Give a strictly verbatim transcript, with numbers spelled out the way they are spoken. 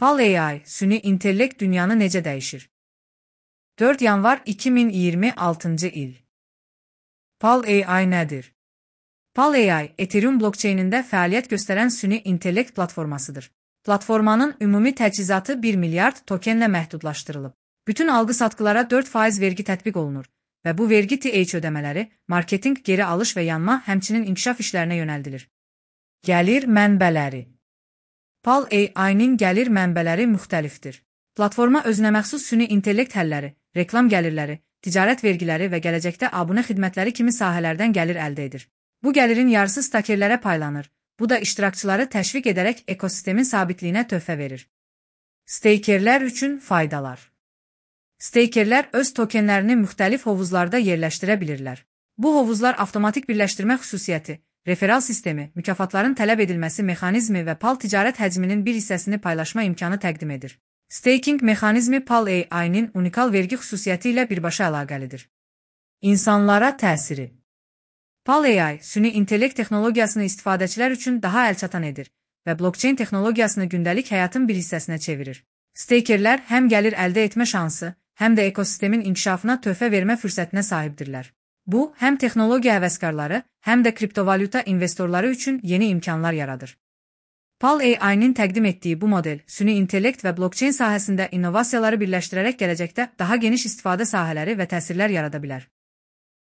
Pal A I, süni intellekt dünyanı necə dəyişir? dörd yanvar iki min iyirmi altıncı il. Pal A I nədir? Pal A I, Ethereum blokçeynində fəaliyyət göstərən süni intellekt platformasıdır. Platformanın ümumi təchizatı bir milyard tokenlə məhdudlaşdırılıb. Bütün alqı-satqılara dörd faiz vergi tətbiq olunur və bu vergi T H ödəmələri, marketinq, geri alış və yanma, həmçinin inkişaf işlərinə yönəldilir. Gəlir mənbələri. Pal A I-nin gəlir mənbələri müxtəlifdir. Platforma özünəməxsus süni intellekt həlləri, reklam gəlirləri, ticarət vergiləri və gələcəkdə abunə xidmətləri kimi sahələrdən gəlir əldə edir. Bu gəlirin yarısı stakerlərə paylanır. Bu da iştirakçıları təşviq edərək ekosistemin sabitliyinə töhfə verir. Steykerlər üçün faydalar. Steykerlər öz tokenlərini müxtəlif hovuzlarda yerləşdirə bilirlər. Bu hovuzlar avtomatik birləşdirmə xüsusiyyəti, referal sistemi, mükafatların tələb edilməsi mexanizmi və pal ticarət həcminin bir hissəsini paylaşma imkanı təqdim edir. Staking mexanizmi Pal A I-nin unikal vergi xüsusiyyəti ilə birbaşa əlaqəlidir. İnsanlara təsiri. Pal A I, süni intellekt texnologiyasını istifadəçilər üçün daha əlçatan edir və blokçeyn texnologiyasını gündəlik həyatın bir hissəsinə çevirir. Steykerlər həm gəlir əldə etmə şansı, həm də ekosistemin inkişafına töhfə vermə fürsətinə sahibdirlər. Bu, həm texnologiya həvəskarları, həm də kriptovalyuta investorları üçün yeni imkanlar yaradır. Pal A I-nin təqdim etdiyi bu model, süni intellekt və blokçeyn sahəsində innovasiyaları birləşdirərək gələcəkdə daha geniş istifadə sahələri və təsirlər yarada bilər.